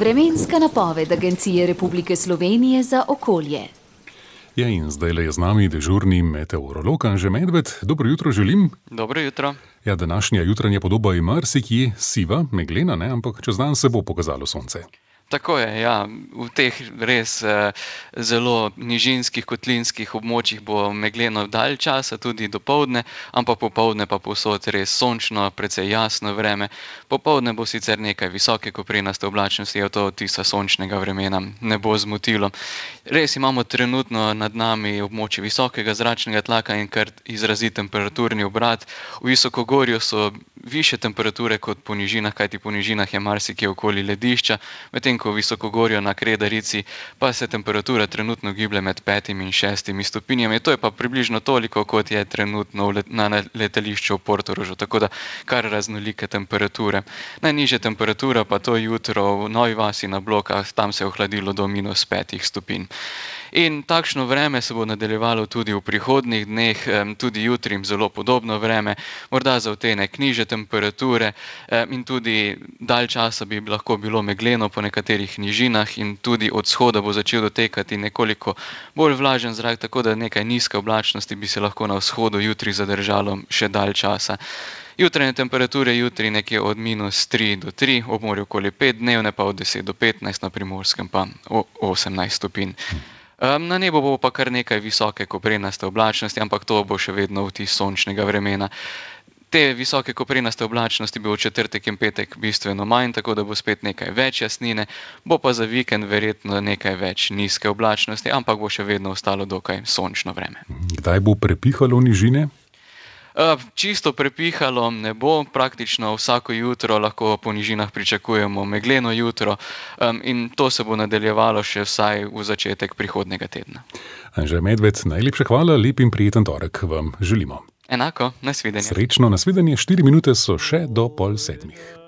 Vremenska napoved Agencije Republike Slovenije za okolje. Ja, in zdajle je z nami dežurni meteorolog Anže Medved. Dobro jutro želim. Dobro jutro. Ja, današnja jutranja podoba je marsikje siva, meglena, ne? Ampak čez dan se bo pokazalo sonce. Tako je, ja. V teh res zelo nižinskih, kotlinskih območjih bo megleno dalj časa, tudi dopoldne, ampak popoldne pa povsod res sončno, precej jasno vreme. Popoldne bo sicer nekaj visoke koprenaste oblačnosti, a to tista sončnega vremena ne bo zmotilo. Res imamo trenutno nad nami območje visokega zračnega tlaka in kar izrazit temperaturni obrat. V visokogorju so višje temperature kot po nižinah, kajti po nižinah je marsikje okoli ledišča, medtem ko v visokogorju na Kredarici pa se temperatura trenutno giblje med 5 in 6 stopinjami. To je pa približno toliko, kot je trenutno na letališču v Portorožu, tako da kar raznolike temperature. Najnižja temperatura pa to jutro v Novi vasi na Blokah, tam se je ohladilo do -5 stopinj. In takšno vreme se bo nadaljevalo tudi v prihodnjih dneh, tudi jutri zelo podobno vreme, morda za odtenek nižje temperature in tudi dalj časa bi lahko bilo megleno po nekaterih nižinah in tudi od vzhoda bo začel dotekati nekoliko bolj vlažen zrak, tako da nekaj nizke oblačnosti bi se lahko na vzhodu jutri zadržalo še dalj časa. Jutranje temperature jutri nekje od -3 do 3, ob morju okoli 5, dnevne pa od 10 do 15, na Primorskem pa 18 stopinj. Na nebu bo pa kar nekaj visoke koprenaste oblačnosti, ampak to bo še vedno vtis sončnega vremena. Te visoke koprenaste oblačnosti bo v četrtek in petek bistveno manj, tako da bo spet nekaj več jasnine, bo pa za vikend verjetno nekaj več nizke oblačnosti, ampak bo še vedno ostalo dokaj sončno vreme. Kdaj bo prepihalo nižine? Čisto prepihalo ne bo, praktično vsako jutro lahko po nižinah pričakujemo megleno jutro in to se bo nadaljevalo še vsaj v začetek prihodnjega tedna. Anže Medved, najlepša hvala, lep in prijeten torek vam želimo. Enako, nasvidenje. Srečno, nasvidenje, 4 minute so še do 6:30.